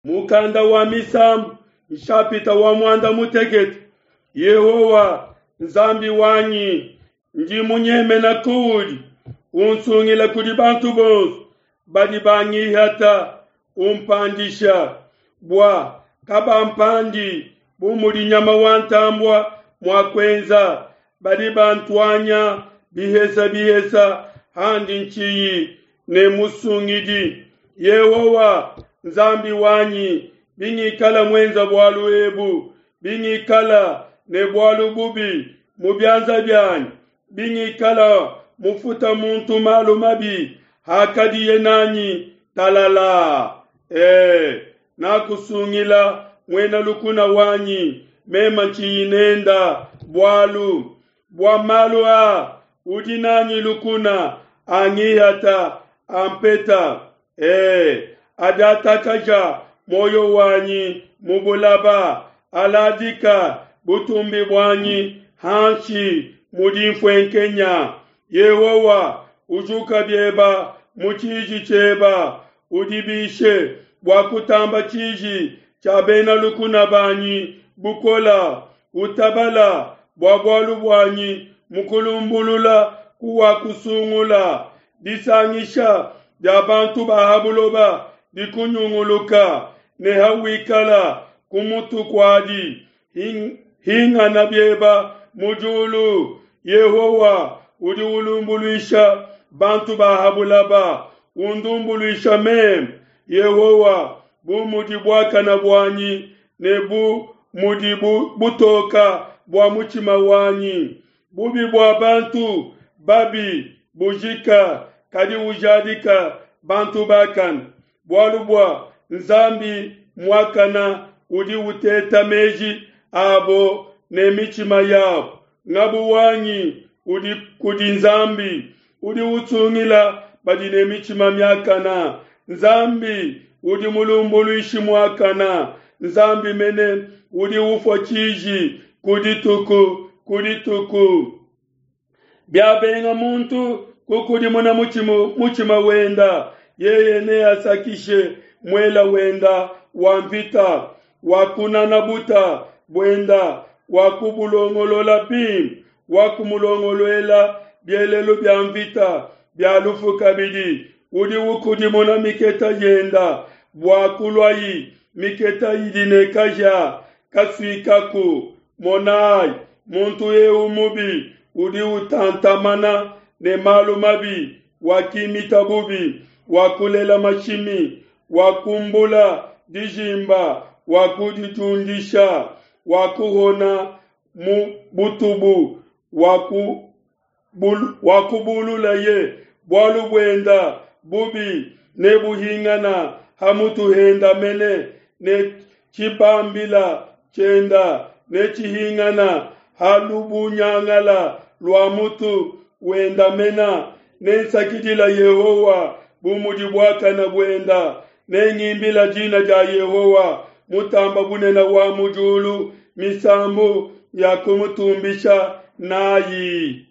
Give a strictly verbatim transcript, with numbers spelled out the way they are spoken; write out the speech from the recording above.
Mukanda wa Misambu, nshapita wa muanda mutekete. Yehowa Nzambi wanyi, ndi munyemena kuudi, unsungila kudi bantu bonso badi bangihata, umpandisha bua kabampandi bu mudi nyama wa ntambua mua kuenza, badi bantuanya bihesa bihesa handi ntshiyi ne musungidi. Yehowa Nzambi wanyi, bingikala muenza bualu ebu, bingikala ne bualu bubi mu bianza bianyi, bingikala mufuta muntu malu mabi hakadiye nanyi talala, e, nakusungila muena lukuna wanyi mema ntshiyi nenda bualu. Bua malu a udi nanyi lukuna angihata ampeta, e, adiatakaja muoyo wanyi mu bulaba, aladika butumbi buanyi hanshi mu dinfuenkenya. Yehowa, ujuka bieba mu tshiji tshieba, udibishe bua kutamba tshiji tshia bena lukuna banyi bukola, utabala bua bualu buanyi mu kulumbulula kuwakusungula. Disangisha dia bantu ba ha buloba dikunyunguluka, ne hawikala ku mutu kuadi, hingana bieba mu diulu. Yehowa udi ulumbuluisha bantu ba ha bulaba, undumbuluisha meme Yehowa bu mudi buakana buanyi ne bu mudi butoka bua mutshima wanyi. Bubi bua bantu babi bujika, kadi ujadika bantu bakana. Bualu bua Nzambi muakana udi uteta meji abo ne mitshima yabo. Ngabu wanyi udi kudi Nzambi, udi usungila badi ne mitshima miakana. Nzambi udi mulumbuluishi muakana, Nzambi mene udi ufua tshiji ku dituku ku dituku. Biabenga muntu kukudimuna mutshima, mutshima wenda, yeye neasakishe muela wenda wa mvita, wakunana buta buenda, wakubulongolola bimpe, wakumulongoluela bielelu bia mvita bia lufu kabidi. Udi ukudimuna miketa yenda bua kuluayi miketa idi ne kahia kasuikaku. Monai, muntu eu mubi udi utantamana ne malu mabi, wakimita bubi, wakulela mashimi, wakumbula dijimba, wakudidiundisha, wakuhona mu butubu, wakubululaye bualu buenda bubi nebuhingana ha mutu henda mene, ne tshibambila tshienda netshihingana ha lubunyangala lua mutu wenda mena. Nensakidila Yehowa bu mudi buakana buenda, nengimbila dina dia Yehowa mutamba bunene wa mu diulu misambu ya kumutumbisha nayi.